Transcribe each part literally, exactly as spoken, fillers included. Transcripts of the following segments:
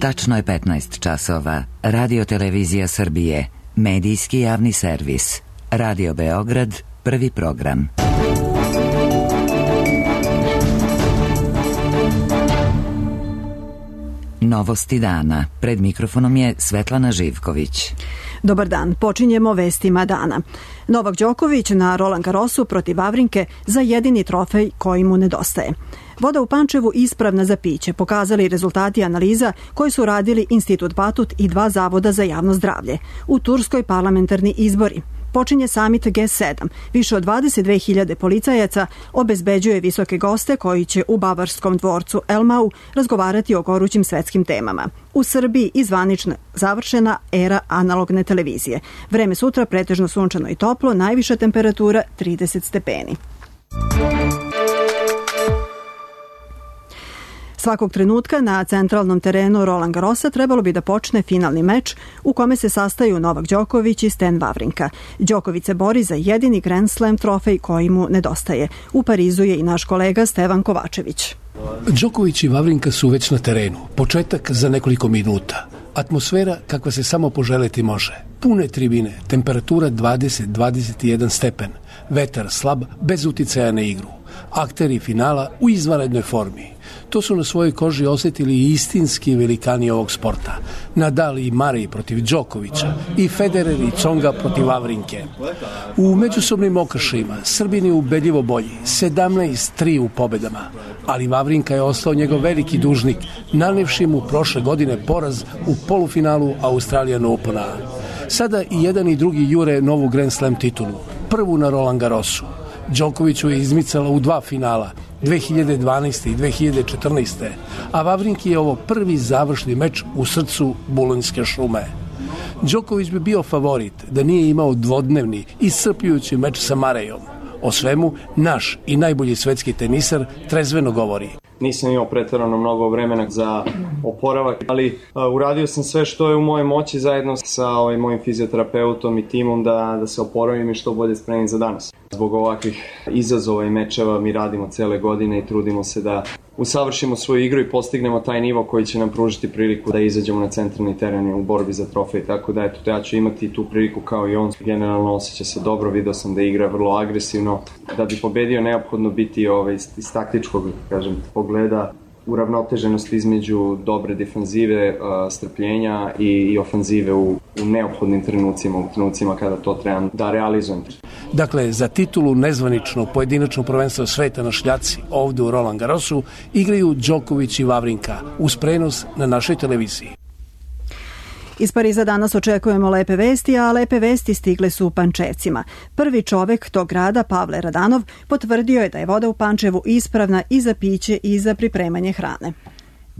Tačno je petnaest časova. Radio Televizija Srbije, medijski javni servis. Radio Beograd, prvi program. Novosti dana. Pred mikrofonom je Svetlana Živković. Dobar dan, počinjemo vestima dana. Novak Đoković na Roland Garrosu protiv Wawrinke za jedini trofej koji mu nedostaje. Voda u Pančevu ispravna za piće, pokazali rezultati analiza koji su radili Institut Batut i dva zavoda za javno zdravlje. U Turskoj parlamentarni izbori. Počinje samit G sedam. Više od dvadeset dve hiljade policajaca obezbeđuje visoke goste koji će u bavarskom dvorcu Elmau razgovarati o gorućim svetskim temama. U Srbiji i zvanično završena era analogne televizije. Vreme sutra pretežno sunčano i toplo, najviša temperatura trideset stepeni. Svakog trenutka na centralnom terenu Roland Garrosa trebalo bi da počne finalni meč u kome se sastaju Novak Đoković i Stan Wawrinka. Đoković se bori za jedini Grand Slam trofej koji mu nedostaje. U Parizu je i naš kolega Stevan Kovačević. Đoković i Wawrinka su već na terenu. Početak za nekoliko minuta. Atmosfera kakva se samo poželeti može. Pune tribine, temperatura dvadeset do dvadeset jedan stepen. Vetar slab, bez uticaja na igru. Akteri finala u izvanrednoj formi. To su na svojoj koži osjetili i istinski velikani ovog sporta. Nadal i Murray protiv Đokovića i Federer i Tsonga protiv Wawrinke. U međusobnim okršajima Srbin je ubedljivo bolji, sedamnaest tri u pobedama, ali Wawrinka je ostao njegov veliki dužnik, nanevši mu prošle godine poraz u polufinalu Australian Opena. Sada i jedan i drugi jure novu Grand Slam titulu, prvu na Roland Garrosu. Đokoviću je izmicala u dva finala, dve hiljade dvanaeste. i dve hiljade četrnaeste. a Wawrinki je ovo prvi završni meč u srcu Bulonjske šume. Đoković bi bio favorit da nije imao dvodnevni iscrpljujući meč sa Murrayom. O svemu naš i najbolji svetski tenisar trezveno govori. Nisam imao pretjerano mnogo vremena za oporavak, ali uh, uradio sam sve što je u mojoj moći zajedno sa ovaj, mojim fizioterapeutom i timom da, da se oporavim i što bolje spremim za danas. Zbog ovakvih izazova i mečeva mi radimo cele godine i trudimo se da usavršimo svoju igru i postignemo taj nivo koji će nam pružiti priliku da izađemo na centralni teren u borbi za trofej. Tako da eto, ja ću imati tu priliku kao i on. Generalno osjeća se dobro, video sam da igra vrlo agresivno. Da bi pobedio neophodno biti ovaj, iz taktičkog, kažem, pogleda uravnoteženost između dobre defanzive, strpljenja i, i ofanzive u, u neophodnim trenucima, u trenucima kada to trebam da realizujem. Dakle, za titulu nezvanično pojedinačno prvenstvo sveta na šljaci ovde u Roland Garrosu igraju Đoković i Wawrinka uz prenos na našoj televiziji. Iz Pariza danas očekujemo lepe vesti, a lepe vesti stigle su u Pančevcima. Prvi čovek tog grada, Pavle Radanov, potvrdio je da je voda u Pančevu ispravna i za piće i za pripremanje hrane.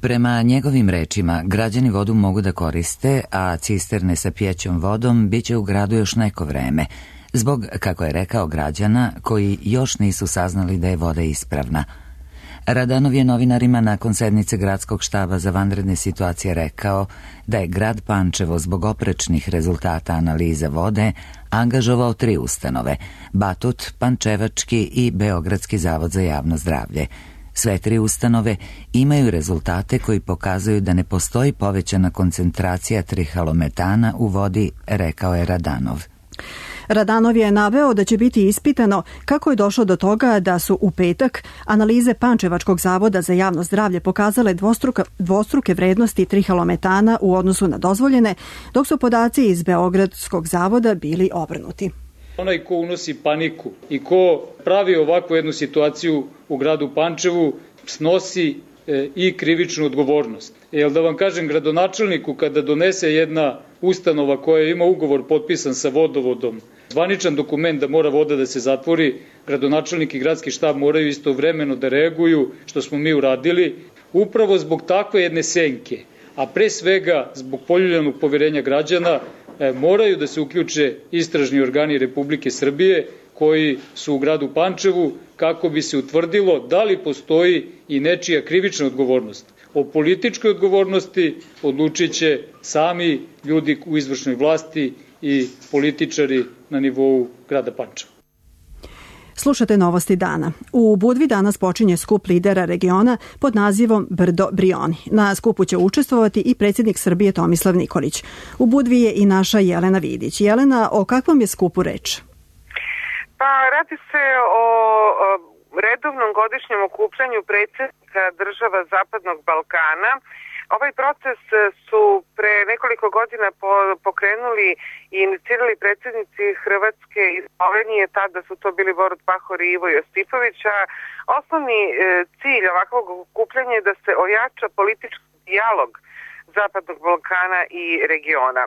Prema njegovim rečima, građani vodu mogu da koriste, a cisterne sa pijećom vodom biće u gradu još neko vreme, zbog, kako je rekao, građana koji još nisu saznali da je voda ispravna. Radanov je novinarima nakon sednice gradskog štaba za vanredne situacije rekao da je grad Pančevo zbog oprečnih rezultata analize vode angažovao tri ustanove, Batut, Pančevački i Beogradski zavod za javno zdravlje. Sve tri ustanove imaju rezultate koji pokazuju da ne postoji povećana koncentracija trihalometana u vodi, rekao je Radanov. Radanov je naveo da će biti ispitano kako je došlo do toga da su u petak analize Pančevačkog zavoda za javno zdravlje pokazale dvostruka, dvostruke vrednosti trihalometana u odnosu na dozvoljene, dok su podaci iz Beogradskog zavoda bili obrnuti. Onaj ko unosi paniku i ko pravi ovakvu jednu situaciju u gradu Pančevu snosi e, i krivičnu odgovornost. Jel da vam kažem, gradonačelniku kada donese jedna ustanova koja ima ugovor potpisan sa vodovodom, zvaničan dokument da mora voda da se zatvori, gradonačelnik i gradski štab moraju istovremeno da reaguju, što smo mi uradili, upravo zbog takve jedne senke, a pre svega zbog poljuljanog poverenja građana, e, moraju da se uključe istražni organi Republike Srbije koji su u gradu Pančevu kako bi se utvrdilo da li postoji i nečija krivična odgovornost. O političkoj odgovornosti odlučit će sami ljudi u izvršnoj vlasti i političari na nivou grada Pančeva. Slušate Novosti dana. U Budvi danas počinje skup lidera regiona pod nazivom Brdo Brioni. Na skupu će učestvovati i predsjednik Srbije Tomislav Nikolić. U Budvi je i naša Jelena Vidić. Jelena, o kakvom je skupu reč? Pa radi se o, o redovnom godišnjem okupljanju predsjednika država Zapadnog Balkana. Ovaj proces su pre nekoliko godina pokrenuli i inicirali predsjednici Hrvatske i Slovenije, tada su to bili Borut Pahor i Ivo Josipović, a osnovni cilj ovakvog okupljanja je da se ojača politički dijalog Zapadnog Balkana i regiona.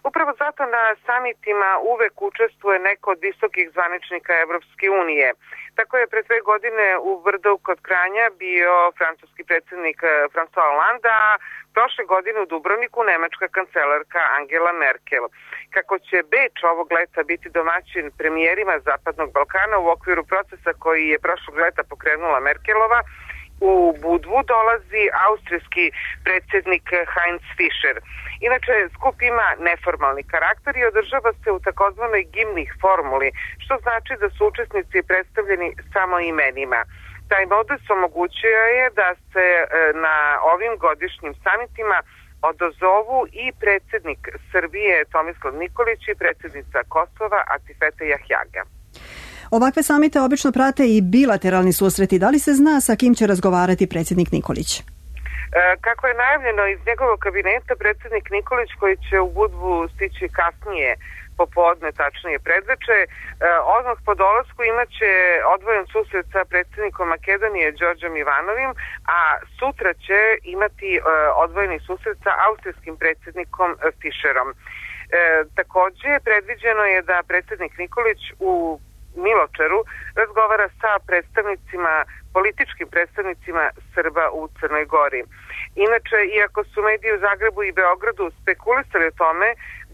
Upravo zato na samitima uvek učestvuje neko od visokih zvaničnika Evropske unije. Tako je pre dve godine u Brdu kod Kranja bio francuski predsjednik François Hollande, a prošle godine u Dubrovniku nemačka kancelarka Angela Merkel. Kako će Beč ovog leta biti domaćin premijerima Zapadnog Balkana u okviru procesa koji je prošlog leta pokrenula Merkelova, u Budvu dolazi austrijski predsjednik Heinz Fischer. Inače, skup ima neformalni karakter i održava se u takozvanoj gimnih formuli, što znači da su učesnici predstavljeni samo imenima. Taj modus omogućuje je da se na ovim godišnjim samitima odazovu i predsjednik Srbije Tomislav Nikolić i predsjednica Kosova Atifete Jahjaga. Ovakve samite obično prate i bilateralni susreti. Da li se zna sa kim će razgovarati predsjednik Nikolić? Kako je najavljeno iz njegovog kabineta, predsjednik Nikolić, koji će u Budvu stići kasnije popodne, tačnije predveče, odmah po dolasku imaće odvojen susret sa predsjednikom Makedonije Đorđom Ivanovim, a sutra će imati odvojeni susret sa austrijskim predsjednikom Fischerom. Takođe, predviđeno je da predsjednik Nikolić u Miločeru razgovara sa predstavnicima, političkim predstavnicima Srba u Crnoj Gori. Inače, iako su mediji u Zagrebu i Beogradu spekulisali o tome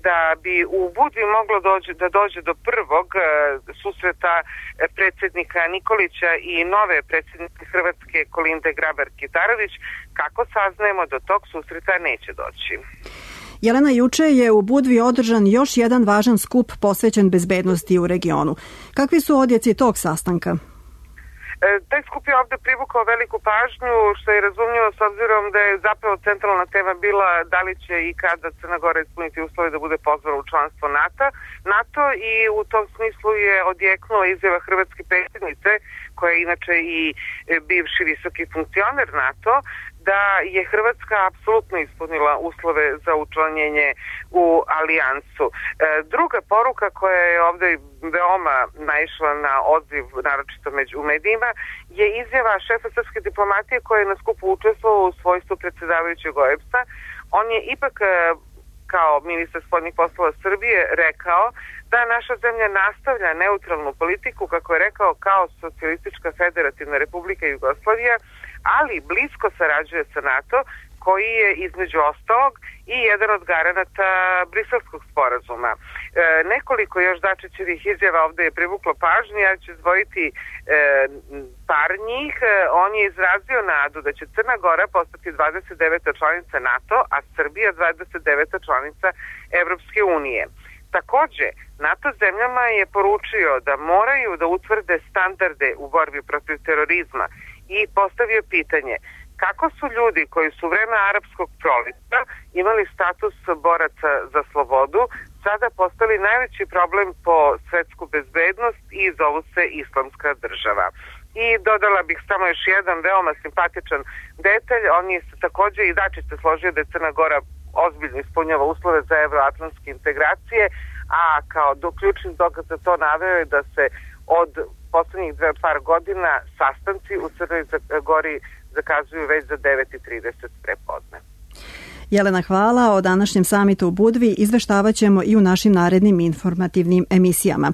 da bi u Budvi moglo dođe, da dođe do prvog uh, susreta predsjednika Nikolića i nove predsjednice Hrvatske Kolinde Grabar-Kitarović, kako saznajemo, do tog susreta neće doći. Jelena, juče je u Budvi održan još jedan važan skup posvećen bezbednosti u regionu. Kakvi su odjeci tog sastanka? E, taj skup je ovde privukao veliku pažnju, što je razumljivo s obzirom da je zapravo centralna tema bila da li će i kada Crna Gora ispuniti uslove da bude pozvana u članstvo NATO, NATO i u tom smislu je odjeknula izjava hrvatske predsjednice, koja je inače i bivši visoki funkcioner NATO, da je Hrvatska apsolutno ispunila uslove za učlanjenje u alijansu. E, druga poruka koja je ovdje veoma naišla na odziv, naročito među medijima, je izjava šefa srpske diplomatije koja je na skupu učestvovao u svojstvu predsjedavajućeg O E B S-a. On je ipak kao ministar spoljnih poslova Srbije rekao da naša zemlja nastavlja neutralnu politiku, kako je rekao, kao Socijalistička federativna republika Jugoslavija, ali blisko sarađuje sa NATO, koji je između ostalog i jedan od garanata Briselskog sporazuma. E, nekoliko još Dačićevih izjava ovdje je privuklo pažnju, ja ću izdvojiti e, par njih. E, on je izrazio nadu da će Crna Gora postati dvadeset deveta članica NATO, a Srbija dvadeset deveta članica Evropske unije. Takođe, NATO zemljama je poručio da moraju da utvrde standarde u borbi protiv terorizma i postavio pitanje kako su ljudi koji su u vreme arapskog proleta imali status boraca za slobodu sada postali najveći problem po svetsku bezbednost i zovu se Islamska država. I dodala bih samo još jedan veoma simpatičan detalj, on je takođe i Dačić se složio da je Crna Gora ozbiljno ispunjava uslove za evroatlantske integracije, a kao do ključnih dokaza to naveo je da se od poslednjih dve par godina sastanci u Crnoj Gori zakazuju već za devet i trideset prepodne. Jelena, hvala. O današnjem samitu u Budvi izveštavat ćemo i u našim narednim informativnim emisijama.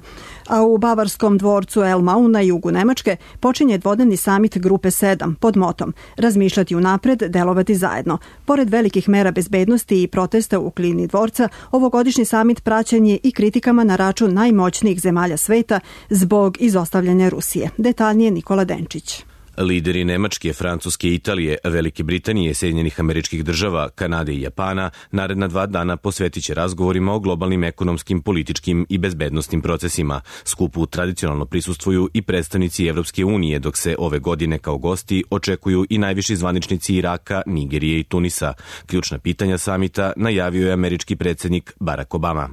A u Bavarskom dvorcu Elmau na jugu Nemačke počinje dvodnevni samit Grupe sedam pod motom Razmišljati unapred, delovati zajedno. Pored velikih mera bezbednosti i protesta u okolini dvorca, ovogodišnji samit praćen je i kritikama na račun najmoćnijih zemalja sveta zbog izostavljanja Rusije. Detaljnije Nikola Denčić. Lideri Nemačke, Francuske, Italije, Velike Britanije, Sjedinjenih Američkih Država, Kanade i Japana naredna dva dana posvetit će razgovorima o globalnim ekonomskim, političkim i bezbednostnim procesima. Skupu tradicionalno prisustvuju i predstavnici Evropske unije, dok se ove godine kao gosti očekuju i najviši zvaničnici Iraka, Nigerije i Tunisa. Ključna pitanja samita najavio je američki predsjednik Barack Obama.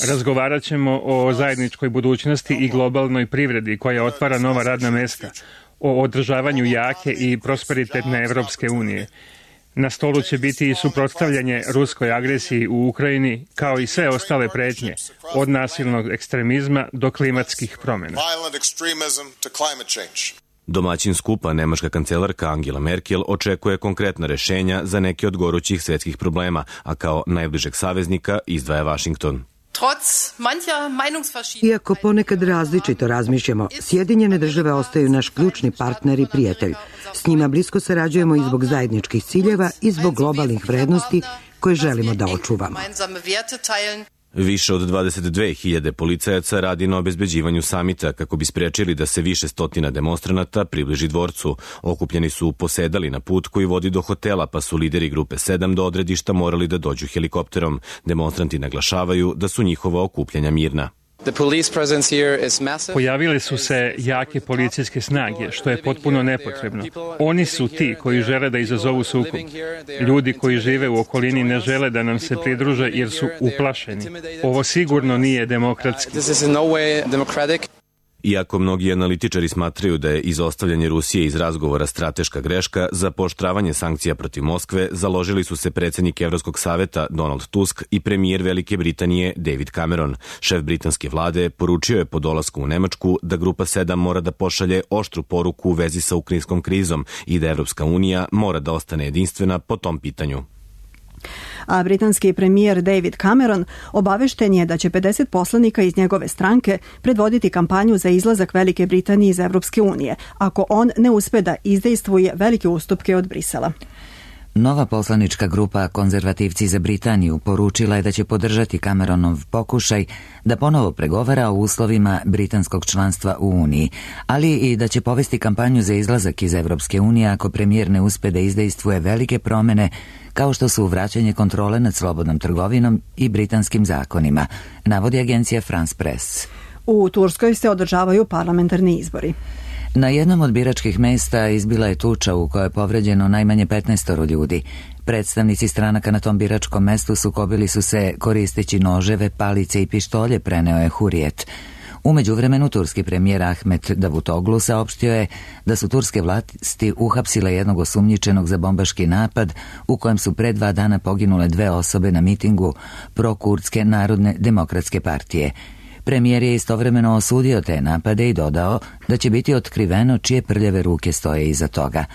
Razgovarat ćemo o zajedničkoj budućnosti i globalnoj privredi koja otvara nova radna mesta, o održavanju jake i prosperitetne Evropske unije. Na stolu će biti i suprotstavljanje ruskoj agresiji u Ukrajini, kao i sve ostale pretnje, od nasilnog ekstremizma do klimatskih promjena. Domaćin skupa, nemačka kancelarka Angela Merkel očekuje konkretna rešenja za neke od gorućih svetskih problema, a kao najbližeg saveznika izdvaja Washington. Iako ponekad različito razmišljamo, Sjedinjene države ostaju naš ključni partner i prijatelj. S njima blisko sarađujemo i zbog zajedničkih ciljeva i zbog globalnih vrednosti koje želimo da očuvamo. Više od dvadeset dve hiljade policajaca radi na obezbeđivanju samita kako bi sprečili da se više stotina demonstranata približi dvorcu. Okupljeni su posedali na put koji vodi do hotela, pa su lideri grupe sedam do odredišta morali da dođu helikopterom. Demonstranti naglašavaju da su njihova okupljanja mirna. Pojavile su se jake policijske snage, što je potpuno nepotrebno. Oni su ti koji žele da izazovu sukob. Ljudi koji žive u okolini ne žele da nam se pridruže jer su uplašeni. Ovo sigurno nije demokratski. Iako mnogi analitičari smatraju da je izostavljanje Rusije iz razgovora strateška greška, za pooštravanje sankcija protiv Moskve založili su se predsjednik Evropskog saveta Donald Tusk i premijer Velike Britanije David Cameron. Šef britanske vlade poručio je po dolasku u Nemačku da grupa sedam mora da pošalje oštru poruku u vezi sa ukrajinskom krizom i da Evropska unija mora da ostane jedinstvena po tom pitanju. A britanski premijer David Cameron obavešten je da će pedeset poslanika iz njegove stranke predvoditi kampanju za izlazak Velike Britanije iz Evropske unije, ako on ne uspe da izdejstvuje velike ustupke od Brisela. Nova poslanička grupa Konzervativci za Britaniju poručila je da će podržati Cameronov pokušaj da ponovo pregovara o uslovima britanskog članstva u Uniji, ali i da će povesti kampanju za izlazak iz Evropske unije ako premijer ne uspe da izdejstvuje velike promene kao što su vraćanje kontrole nad slobodnom trgovinom i britanskim zakonima, navodi agencija France Press. U Turskoj se održavaju parlamentarni izbori. Na jednom od biračkih mesta izbila je tuča u kojoj je povređeno najmanje petnaest ljudi. Predstavnici stranaka na tom biračkom mestu sukobili su se koristeći noževe, palice i pištolje, preneo je Hurriyet. U međuvremenu turski premijer Ahmet Davutoglu saopštio je da su turske vlasti uhapsile jednog osumnjičenog za bombaški napad u kojem su pre dva dana poginule dve osobe na mitingu prokurdske Narodne demokratske partije. Premijer je istovremeno osudio te napade i dodao da će biti otkriveno čije prljave ruke stoje iza toga.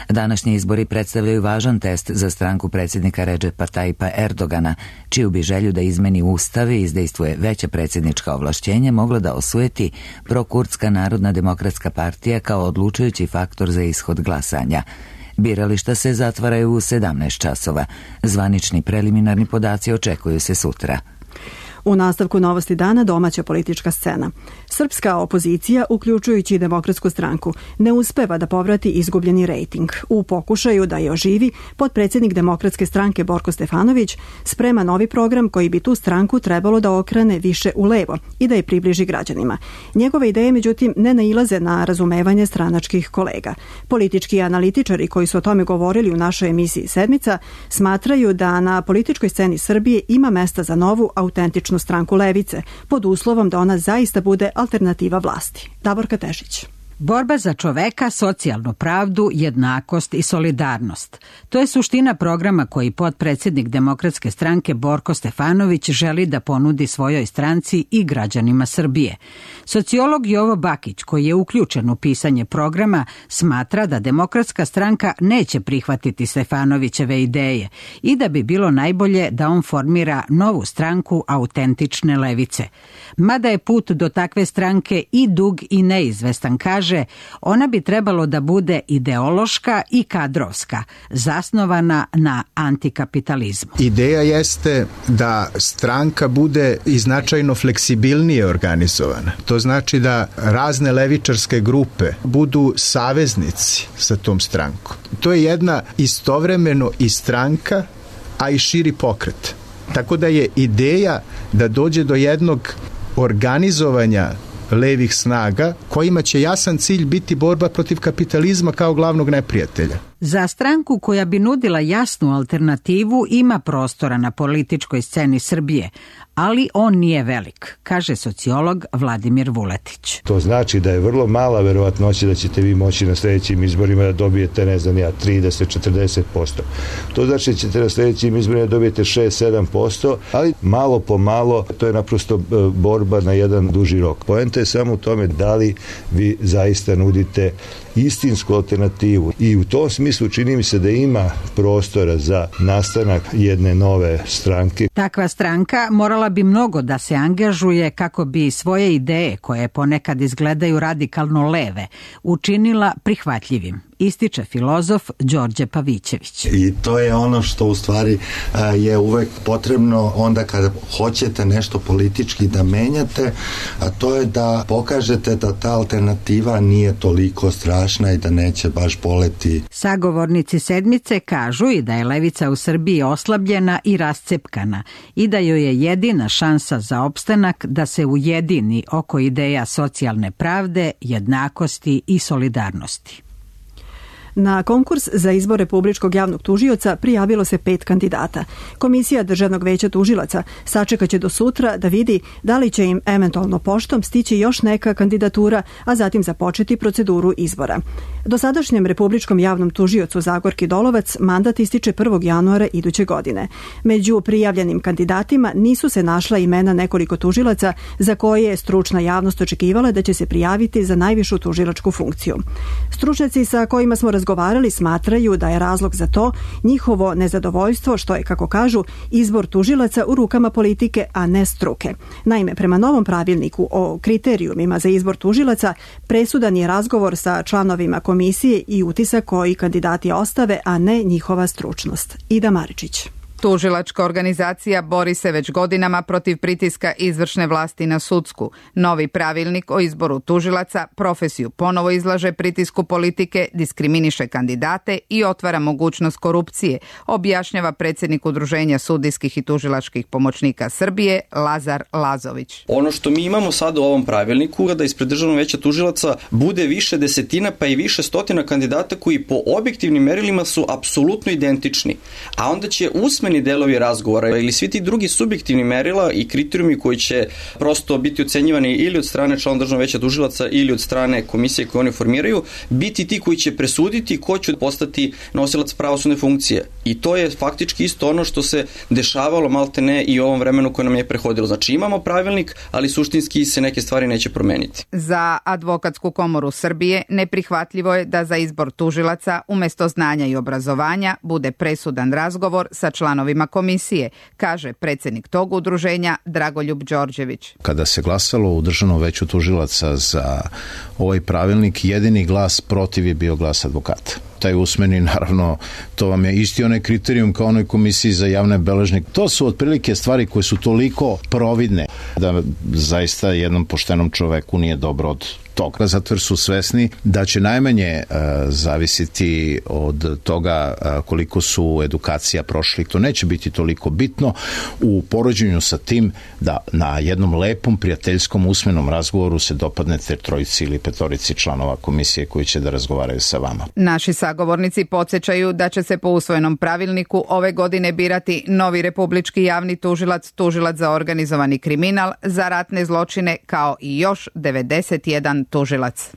Današnji izbori predstavljaju važan test za stranku predsjednika Redžepa Tajipa Erdogana, čiju bi želju da izmeni ustav i izdejstvuje veća predsjednička ovlašćenja mogla da osujeti prokurdska Narodna demokratska partija kao odlučujući faktor za ishod glasanja. Birališta se zatvaraju u sedamnaest časova. Zvanični preliminarni podaci očekuju se sutra. U nastavku novosti dana domaća politička scena. Srpska opozicija, uključujući Demokratsku stranku, ne uspeva da povrati izgubljeni rejting. U pokušaju da je oživi, potpredsjednik Demokratske stranke Borko Stefanović sprema novi program koji bi tu stranku trebalo da okrene više u levo i da je približi građanima. Njegove ideje, međutim, ne nailaze na razumevanje stranačkih kolega. Politički analitičari koji su o tome govorili u našoj emisiji Sedmica smatraju da na političkoj sceni Srbije ima mesta za novu, autentičnu stranku levice, pod uslovom da ona zaista bude alternativa vlasti. Davorka Tešić. Borba za čoveka, socijalnu pravdu, jednakost i solidarnost. To je suština programa koji potpredsjednik Demokratske stranke Borko Stefanović želi da ponudi svojoj stranci i građanima Srbije. Sociolog Jovo Bakić, koji je uključen u pisanje programa, smatra da Demokratska stranka neće prihvatiti Stefanovićeve ideje i da bi bilo najbolje da on formira novu stranku autentične levice. Mada je put do takve stranke i dug i neizvestan, kaže kaže, ona bi trebalo da bude ideološka i kadrovska, zasnovana na antikapitalizmu. Ideja jeste da stranka bude i značajno fleksibilnije organizovana. To znači da razne levičarske grupe budu saveznici sa tom strankom. To je jedna istovremeno i stranka, a i širi pokret. Tako da je ideja da dođe do jednog organizovanja levih snaga kojima će jasan cilj biti borba protiv kapitalizma kao glavnog neprijatelja. Za stranku koja bi nudila jasnu alternativu ima prostora na političkoj sceni Srbije, ali on nije velik, kaže sociolog Vladimir Vuletić. To znači da je vrlo mala verovatnoća da ćete vi moći na sljedećim izborima da dobijete, ne znam ja, trideset do četrdeset posto. To znači da ćete na sljedećim izborima da dobijete šest do sedam posto, ali malo po malo to je naprosto borba na jedan duži rok. Poenta je samo u tome da li vi zaista nudite istinsku alternativu i u tom smislu čini mi se da ima prostora za nastanak jedne nove stranke. Takva stranka morala bi mnogo da se angažuje kako bi svoje ideje, koje ponekad izgledaju radikalno leve, učinila prihvatljivim, ističe filozof Đorđe Pavićević. I to je ono što u stvari je uvek potrebno onda kada hoćete nešto politički da menjate, a to je da pokažete da ta alternativa nije toliko strašna i da neće baš boleti. Sagovornici sedmice kažu i da je levica u Srbiji oslabljena i rascepkana i da joj je jedina šansa za opstanak da se ujedini oko ideja socijalne pravde, jednakosti i solidarnosti. Na konkurs za izbor republičkog javnog tužioca prijavilo se pet kandidata. Komisija Državnog veća tužilaca sačekaće do sutra da vidi da li će im eventualno poštom stići još neka kandidatura, a zatim započeti proceduru izbora. Dosadašnjem republičkom javnom tužiocu Zagorki Dolovac mandat ističe prvog januara iduće godine. Među prijavljenim kandidatima nisu se našla imena nekoliko tužilaca za koje je stručna javnost očekivala da će se prijaviti za najvišu tužilačku funkciju. Stručnjaci sa kojima smo razgovarali smatraju da je razlog za to njihovo nezadovoljstvo što je, kako kažu, izbor tužilaca u rukama politike, a ne struke. Naime, prema novom pravilniku o kriterijumima za izbor tužilaca presudan je razgovor sa članovima komisije i utisak koji kandidati ostave, a ne njihova stručnost. Ida Maričić. Tužilačka organizacija bori se već godinama protiv pritiska izvršne vlasti na sudsku. Novi pravilnik o izboru tužilaca profesiju ponovo izlaže pritisku politike, diskriminiše kandidate i otvara mogućnost korupcije, objašnjava predsjednik Udruženja sudijskih i tužilačkih pomoćnika Srbije Lazar Lazović. Ono što mi imamo sad u ovom pravilniku je da ispred Državnog veća tužilaca bude više desetina pa i više stotina kandidata koji po objektivnim merilima su apsolutno identični, a onda će usmeni delovi razgovora ili svi ti drugi subjektivni merila i kriterijumi koji će prosto biti ocenjivani ili od strane člana Državnog veća tužilaca ili od strane komisije koje oni formiraju, biti ti koji će presuditi ko će postati nosilac pravosudne funkcije. I to je faktički isto ono što se dešavalo maltene i u ovom vremenu koje nam je prehodilo. Znači imamo pravilnik, ali suštinski se neke stvari neće promeniti. Za Advokatsku komoru Srbije neprihvatljivo je da za izbor tužilaca umjesto znanja i obrazovanja bude presudan razgovor sa članovima komisije, kaže predsjednik tog udruženja Dragoljub Đorđević. Kada se glasalo u Državnom veću tužilaca za ovaj pravilnik, jedini glas protiv je bio glas advokata. Taj usmeni, naravno, to vam je isti onaj kriterijum kao onoj komisiji za javne beležnike. To su otprilike stvari koje su toliko providne da zaista jednom poštenom čoveku nije dobro od toga, zato jer su svesni da će najmanje uh, zavisiti od toga uh, koliko su edukacija prošli. To neće biti toliko bitno u poređenju sa tim da na jednom lepom, prijateljskom, usmenom razgovoru se dopadnete trojici ili petorici članova komisije koji će da razgovaraju sa vama. Naši sagovornici podsjećaju da će se po usvojenom pravilniku ove godine birati novi republički javni tužilac, tužilac za organizovani kriminal, za ratne zločine, kao i još devedeset jedan tužilac.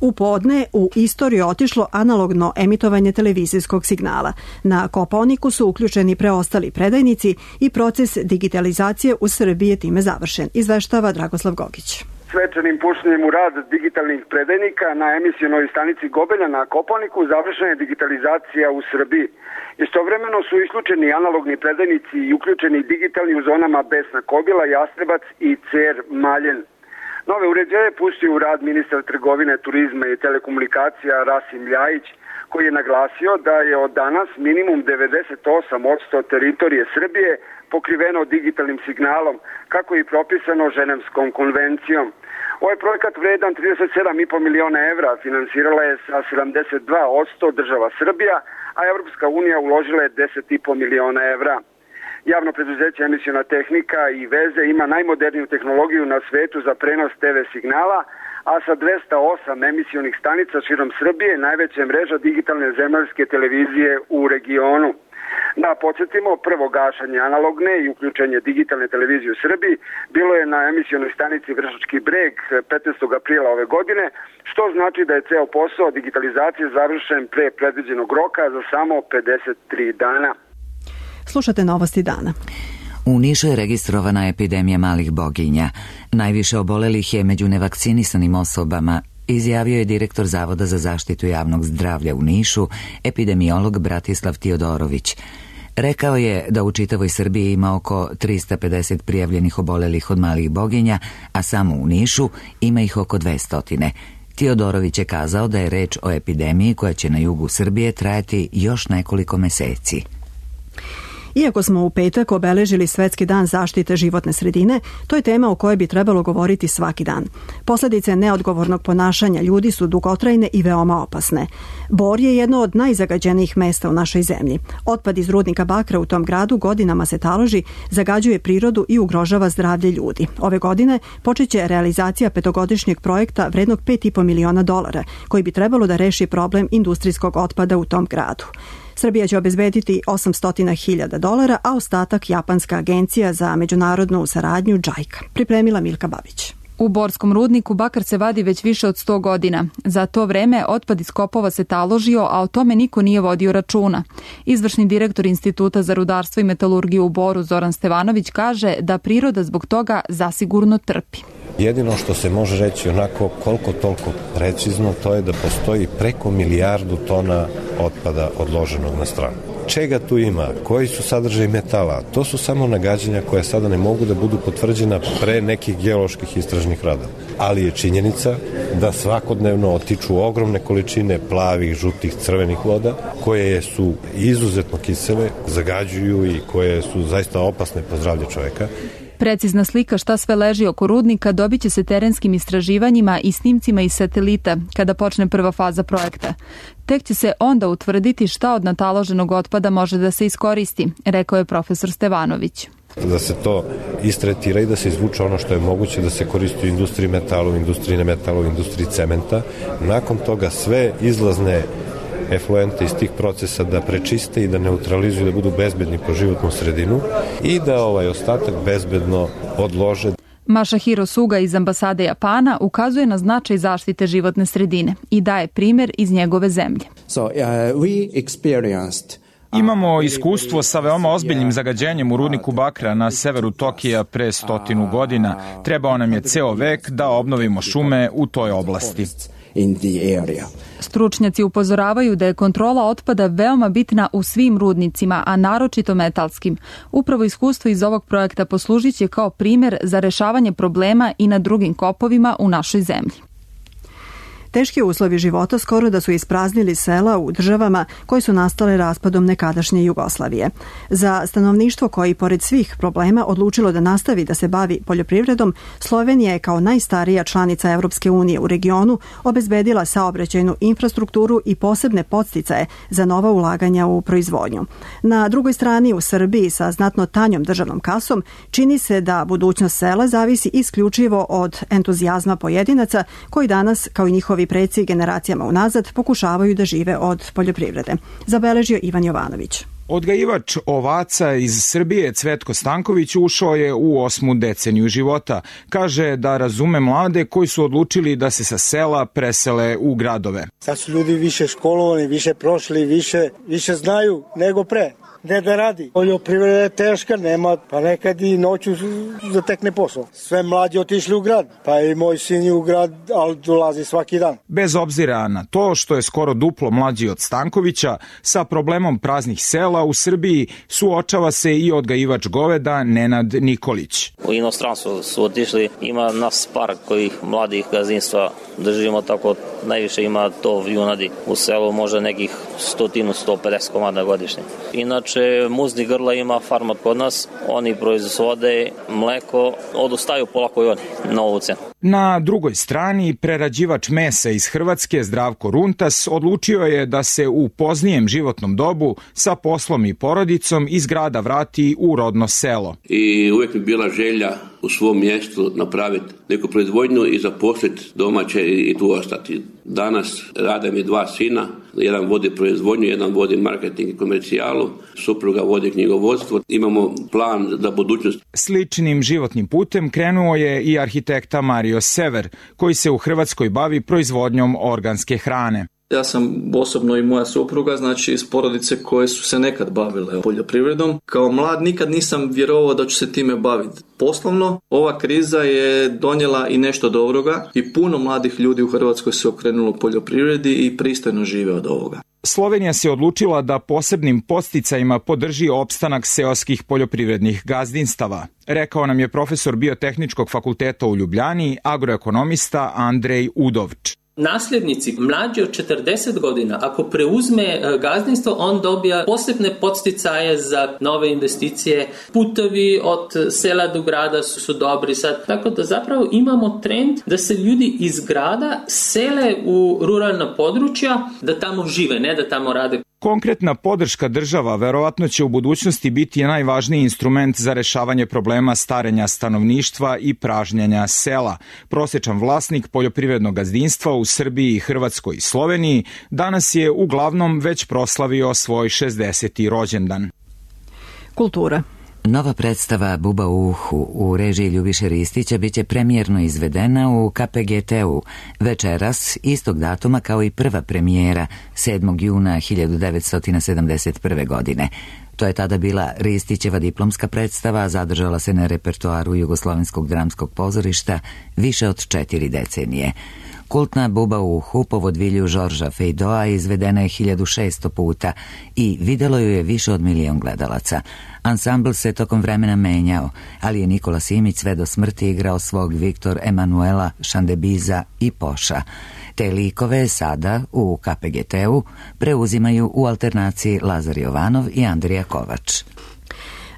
U podne u istoriju otišlo analogno emitovanje televizijskog signala. Na Kopaoniku su uključeni preostali predajnici i proces digitalizacije u Srbiji je time završen, izveštava Dragoslav Gogić. Svečanim puštanjem u rad digitalnih predajnika na emisionoj stanici Gobelja na Kopaoniku završena je digitalizacija u Srbiji. Istovremeno su isključeni analogni predajnici i uključeni digitalni u zonama Besna Kobila, Jastrebac i Cer Maljen. Nove uređaje pustio u rad ministar trgovine, turizma i telekomunikacija Rasim Ljajić, koji je naglasio da je od danas minimum devedeset osam posto teritorije Srbije pokriveno digitalnim signalom, kako je propisano Ženevskom konvencijom. Ovaj projekat vredan trideset sedam i po miliona evra finansirala je sa sedamdeset dva posto država Srbija, a Evropska unija uložila je deset i po miliona evra. Javno preduzeće Emisiona tehnika i veze ima najmoderniju tehnologiju na svetu za prenos te ve signala, a sa dvesta osam emisionih stanica širom Srbije najveća mreža digitalne zemaljske televizije u regionu. Da podsjetimo, prvo gašanje analogne i uključenje digitalne televizije u Srbiji bilo je na emisionoj stanici Vršački breg petnaestog aprila ove godine, što znači da je ceo posao digitalizacije završen pre predviđenog roka za samo pedeset tri dana. Slušate novosti dana. U Nišu je registrovana epidemija malih boginja. Najviše obolelih je među nevakcinisanim osobama, izjavio je direktor Zavoda za zaštitu javnog zdravlja u Nišu, epidemiolog Bratislav Tiodorović. Rekao je da u čitavoj Srbiji ima oko trista pedeset prijavljenih obolelih od malih boginja, a samo u Nišu ima ih oko dvesta. Tiodorović je kazao da je reč o epidemiji koja će na jugu Srbije trajati još nekoliko meseci. Iako smo u petak obeležili Svetski dan zaštite životne sredine, to je tema o kojoj bi trebalo govoriti svaki dan. Posledice neodgovornog ponašanja ljudi su dugotrajne i veoma opasne. Bor je jedno od najzagađenijih mesta u našoj zemlji. Otpad iz rudnika bakra u tom gradu godinama se taloži, zagađuje prirodu i ugrožava zdravlje ljudi. Ove godine počeće realizacija petogodišnjeg projekta vrednog pet i po miliona dolara, koji bi trebalo da reši problem industrijskog otpada u tom gradu. Srbija će obezbediti osamsto hiljada dolara, a ostatak japanska agencija za međunarodnu saradnju džajka. Pripremila Milka Babić. U borskom rudniku bakar se vadi već više od sto godina. Za to vreme otpad iz kopova se taložio, a o tome niko nije vodio računa. Izvršni direktor Instituta za rudarstvo i metalurgiju u Boru Zoran Stevanović kaže da priroda zbog toga zasigurno trpi. Jedino što se može reći onako koliko toliko precizno, to je da postoji preko milijardu tona otpada odloženog na stranu. Čega tu ima? Koji su sadržaji metala? To su samo nagađanja koja sada ne mogu da budu potvrđena pre nekih geoloških istražnih radova. Ali je činjenica da svakodnevno otiču ogromne količine plavih, žutih, crvenih voda, koje su izuzetno kisele, zagađuju i koje su zaista opasne po zdravlje čoveka. Precizna slika šta sve leži oko rudnika dobit će se terenskim istraživanjima i snimcima iz satelita kada počne prva faza projekta. Tek će se onda utvrditi šta od nataloženog otpada može da se iskoristi, rekao je profesor Stevanović. Da se to istretira i da se izvuče ono što je moguće da se koristi u industriji metala, u industriji nemetala, u industriji cementa. Nakon toga sve izlazne efluente iz tih procesa da prečiste i da neutralizuju, da budu bezbedni po životnu sredinu i da ovaj ostatak bezbedno odlože. Masahiro Suga iz ambasade Japana ukazuje na značaj zaštite životne sredine i daje primjer iz njegove zemlje. So, uh, we experienced Imamo iskustvo sa veoma ozbiljnim zagađenjem u rudniku bakra na severu Tokija pre stotinu godina. Trebao nam je ceo vek da obnovimo šume u toj oblasti. Stručnjaci upozoravaju da je kontrola otpada veoma bitna u svim rudnicima, a naročito metalskim. Upravo iskustvo iz ovog projekta poslužit će kao primjer za rešavanje problema i na drugim kopovima u našoj zemlji. Teški uslovi života skoro da su ispraznili sela u državama koje su nastale raspadom nekadašnje Jugoslavije. Za stanovništvo koji pored svih problema odlučilo da nastavi da se bavi poljoprivredom, Slovenija je kao najstarija članica Evropske unije u regionu obezbedila saobraćajnu infrastrukturu i posebne podsticaje za nova ulaganja u proizvodnju. Na drugoj strani u Srbiji sa znatno tanjom državnom kasom čini se da budućnost sela zavisi isključivo od entuzijazma pojedinaca koji danas, kao i njihovi preci generacijama unazad, pokušavaju da žive od poljoprivrede. Zabeležio Ivan Jovanović. Odgajivač ovaca iz Srbije Cvetko Stanković ušao je u osmu deceniju života. Kaže da razume mlade koji su odlučili da se sa sela presele u gradove. Sad su ljudi više školovani, više prošli, više, više znaju nego pre. ne da radi. Poljoprivreda je teška, nema, pa nekad i noću zatekne posao. Sve mlađi otišli u grad, pa i moj sin je u grad, ali dolazi svaki dan. Bez obzira na to što je skoro duplo mlađi od Stankovića, sa problemom praznih sela u Srbiji suočava se i odgajivač goveda Nenad Nikolić. U inostranstvo su otišli, ima nas par kojih mladih gazdinstva držimo, tako najviše ima to junadi. U selu može nekih stotinu, sto pedeset komada godišnje. Inače, muzni grla ima farma kod nas, oni proizvode mleko, odustaju polako i oni na ovu cenu. Na drugoj strani, prerađivač mesa iz Hrvatske Zdravko Runtas odlučio je da se u poznijem životnom dobu sa poslom i porodicom iz grada vrati u rodno selo. I uvijek mi bila želja u svom mjestu napraviti neku proizvodnju i zaposliti domaće i tu ostati. Danas rade mi dva sina, jedan vodi proizvodnju, jedan vodi marketing i komercijalu, supruga vodi knjigovodstvo. Imamo plan za budućnost. Sličnim životnim putem krenuo je i arhitekta Mario Sever, koji se u Hrvatskoj bavi proizvodnjom organske hrane. Ja sam osobno i moja supruga, znači iz porodice koje su se nekad bavile poljoprivredom. Kao mlad nikad nisam vjerovao da ću se time baviti poslovno. Ova kriza je donijela i nešto dobroga i puno mladih ljudi u Hrvatskoj se okrenulo poljoprivredi i pristojno žive od ovoga. Slovenija se odlučila da posebnim podsticajima podrži opstanak seoskih poljoprivrednih gazdinstava, rekao nam je profesor Biotehničkog fakulteta u Ljubljani, agroekonomista Andrej Udovč. Nasljednici mlađi od četrdeset godina, ako preuzme gazdinstvo, on dobija posebne podsticaje za nove investicije. Putovi od sela do grada su, su dobri sad. Tako da zapravo imamo trend da se ljudi iz grada sele u ruralna područja, da tamo žive, ne da tamo rade. Konkretna podrška država verovatno će u budućnosti biti najvažniji instrument za rešavanje problema starenja stanovništva i pražnjenja sela. Prosječan vlasnik poljoprivrednog gazdinstva u Srbiji, Hrvatskoj i Sloveniji danas je uglavnom već proslavio svoj šezdeseti rođendan. Kultura. Nova predstava Buba u uhu u režiji Ljubiše Ristića biće premijerno izvedena u K P G T-u večeras, istog datuma kao i prva premijera sedmog juna hiljadu devetsto sedamdeset prve. godine. To je tada bila Ristićeva diplomska predstava, zadržala se na repertoaru Jugoslovenskog dramskog pozorišta više od četiri decenije. Kultna Buba u uhu po vodvilju Žorža Fejdoa izvedena je hiljadu šesto puta i videlo ju je više od milion gledalaca. Ansambl se tokom vremena menjao, ali je Nikola Simić sve do smrti igrao svog Viktor Emanuela, Šandebiza i Poša. Te likove sada u K P G T-u preuzimaju u alternaciji Lazar Jovanov i Andrija Kovač.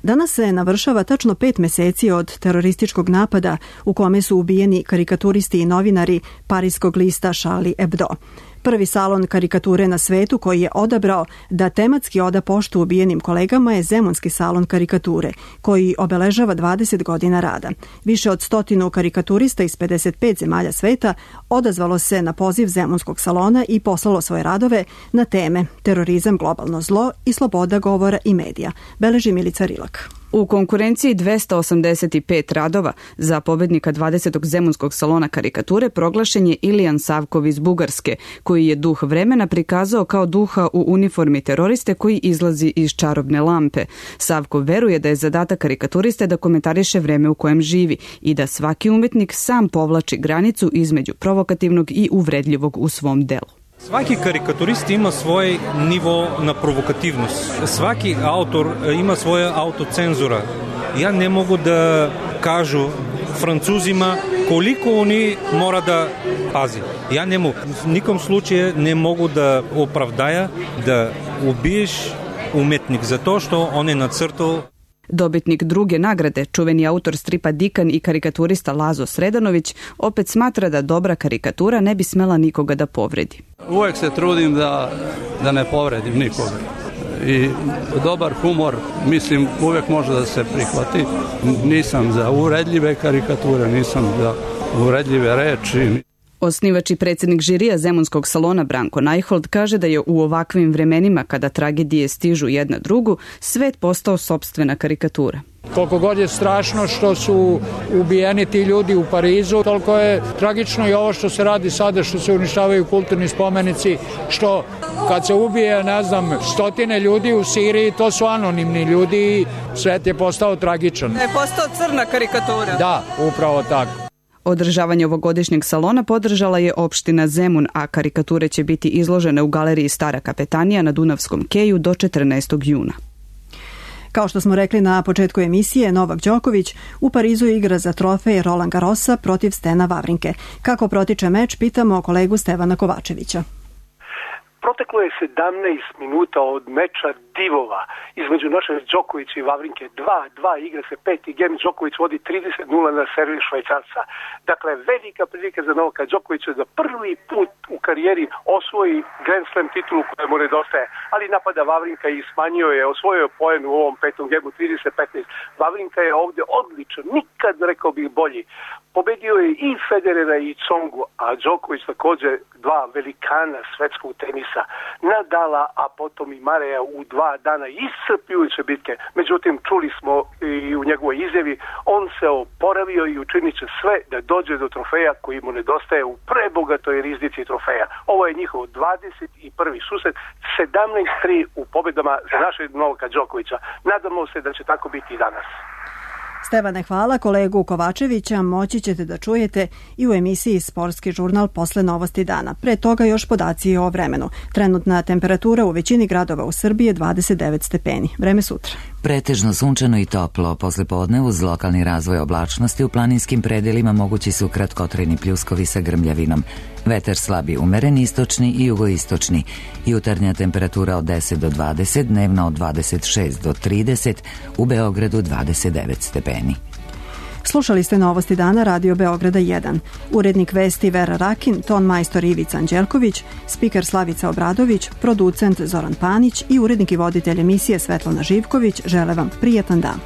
Danas se navršava tačno pet meseci od terorističkog napada u kome su ubijeni karikaturisti i novinari parijskog lista Charlie Hebdo. Prvi salon karikature na svetu koji je odabrao da tematski oda poštu ubijenim kolegama je Zemunski salon karikature, koji obeležava dvadeset godina rada. Više od stotinu karikaturista iz pedeset pet zemalja sveta odazvalo se na poziv Zemunskog salona i poslalo svoje radove na teme terorizam, globalno zlo i sloboda govora i medija, beleži Milica Rilak. U konkurenciji dvesta osamdeset pet radova za pobednika dvadesetog Zemunskog salona karikature proglašen je Ilijan Savkov iz Bugarske, koji je duh vremena prikazao kao duha u uniformi teroriste koji izlazi iz čarobne lampe. Savkov veruje da je zadatak karikaturiste da komentariše vreme u kojem živi i da svaki umetnik sam povlači granicu između provokativnog i uvredljivog u svom delu. Svaki karikaturist ima svoj nivo na provokativnost. Svaki autor ima svoja autocenzura. Ja ne mogu da kažu Francuzima koliko oni mora da pazi. Ja ne mogu, v nikom slučaju ne mogu da opravdaja da ubiješ umetnik zato što on je nacrtao. Dobitnik druge nagrade, čuveni autor stripa Dikan i karikaturista Lazo Sredanović, opet smatra da dobra karikatura ne bi smela nikoga da povredi. Uvek se trudim da, da ne povredim nikoga. I dobar humor, mislim, uvek može da se prihvati. Nisam za uvredljive karikature, nisam za uvredljive reči. Osnivač i predsjednik žirija Zemunskog salona Branko Najhold kaže da je u ovakvim vremenima kada tragedije stižu jedna drugu, svet postao sopstvena karikatura. Koliko god je strašno što su ubijeni ti ljudi u Parizu, toliko je tragično i ovo što se radi sada, što se uništavaju kulturni spomenici, što kad se ubije, ne znam, stotine ljudi u Siriji, to su anonimni ljudi i svet je postao tragičan. Je postao crna karikatura. Da, upravo tako. Održavanje ovogodišnjeg salona podržala je opština Zemun, a karikature će biti izložene u galeriji Stara kapetanija na Dunavskom keju do četrnaestog juna. Kao što smo rekli na početku emisije, Novak Đoković u Parizu igra za trofej Roland Garrosa protiv Stena Wawrinke. Kako protiče meč, pitamo kolegu Stevana Kovačevića. Proteklo je sedamnaest minuta od meča divova između naše Đokovića i Wawrinke. dva dva igra se peti gem, Đoković vodi trideset nula na servis Švajcarca. Dakle, velika prilika za Novaka Đokovića da prvi put u karijeri osvoji Grand Slam titulu koja mu nedostaje. Ali napada Wawrinka i smanjio je, osvojio poen u ovom petom gemu trideset petnaest. Wawrinka je ovdje odličan, nikad rekao bih bolji. Pobedio je i Federera i Tsongu, a Đoković također dva velikana svetskog tenisa, Nadala, a potom i Mareja u dva dana iscrpljujuće bitke. Međutim, čuli smo i u njegovoj izjavi, on se oporavio i učinit će sve da dođe do trofeja koji mu nedostaje u prebogatoj riznici trofeja. Ovo je njihov dvadeset prvi susret, sedamnaest tri u pobjedama za našeg Novaka Đokovića. Nadamo se da će tako biti i danas. Stevane, hvala. Kolegu Kovačevića moći ćete da čujete i u emisiji Sportski žurnal posle novosti dana. Pre toga još podaci o vremenu. Trenutna temperatura u većini gradova u Srbiji je dvadeset devet stepeni. Vreme sutra. Pretežno sunčano i toplo. Posle podne uz lokalni razvoj oblačnosti u planinskim predelima mogući su kratkotrajni pljuskovi sa grmljavinom. Vetar slabi umeren istočni i jugoistočni. Jutarnja temperatura od deset do dvadeset, dnevna od dvadeset šest do trideset, u Beogradu dvadeset devet stepeni. Slušali ste novosti dana Radio Beograda jedan. Urednik vesti Vera Rakin, ton majstor Ivica Anđelković, spiker Slavica Obradović, producent Zoran Panić i urednik i voditelj emisije Svetlana Živković žele vam prijetan dan.